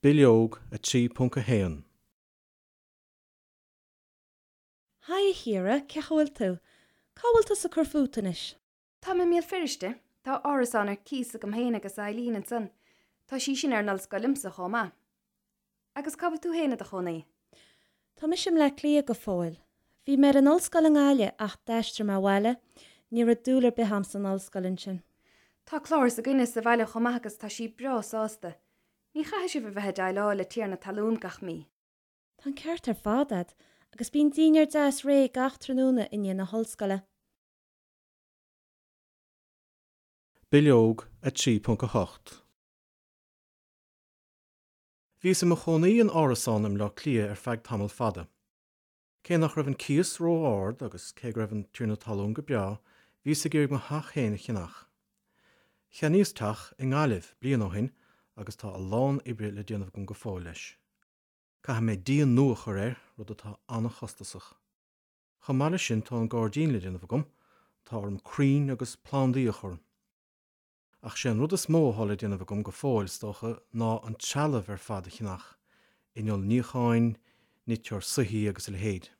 Bileog 3.1. Haigh a Chiara, cén chaoi a bhfuil tú? Cá bhfuil tusa ag cur fút anois? Táim i mBéal Feirste. Tá árasán ar cíos agam féin agus Eileen ansan. Tá sí sin ar an ollscoil liomsa chomh maith. Agus cá bhfuil tú féin i do chónaí? Tá mise i mBleá Cliath go fóill. Bhí mé ar an ollscoil i nGaillimh ach d'aistrigh mé abhaile. Ní raibh dúil ar bith a'm san ollscoil ansin. Tá Clár s'againne sa bhaile chomh maith agus tá sí breá sásta. Ní chaithfidh sibh a bheith ag déileáil le tiarna talún gach mí. Tá an ceart ar fad a'd, agus bíonn dinnéar deas réidh gach tráthnóna i ndiaidh na hollscoile. Bileog 3.8. Bhíos i mo chónaí in árasán i mBleá Cliath ar feadh tamall fada. Cé nach raibh an cíos ró-ard agus cé go raibh an tiarna talún go breá, bhíos ag iarraidh mo theach féin a cheannach. Cheannaíos teach i nGaillimh bliain ó shin agus tá a lán oibre le déanamh agam go fóill leis. Caithfidh mé díon nua a chur air, rud atá an-chostasach. Chomh maith leis sin tá an gairdín le déanamh agam, tá orm crainn agus plandaí a chur. Ach sé an rud is mó atá le déanamh agam go fóill, is dócha, ná an trealamh ar fad a cheannach, inneall níocháin, niteoir soithí agus a leithéid.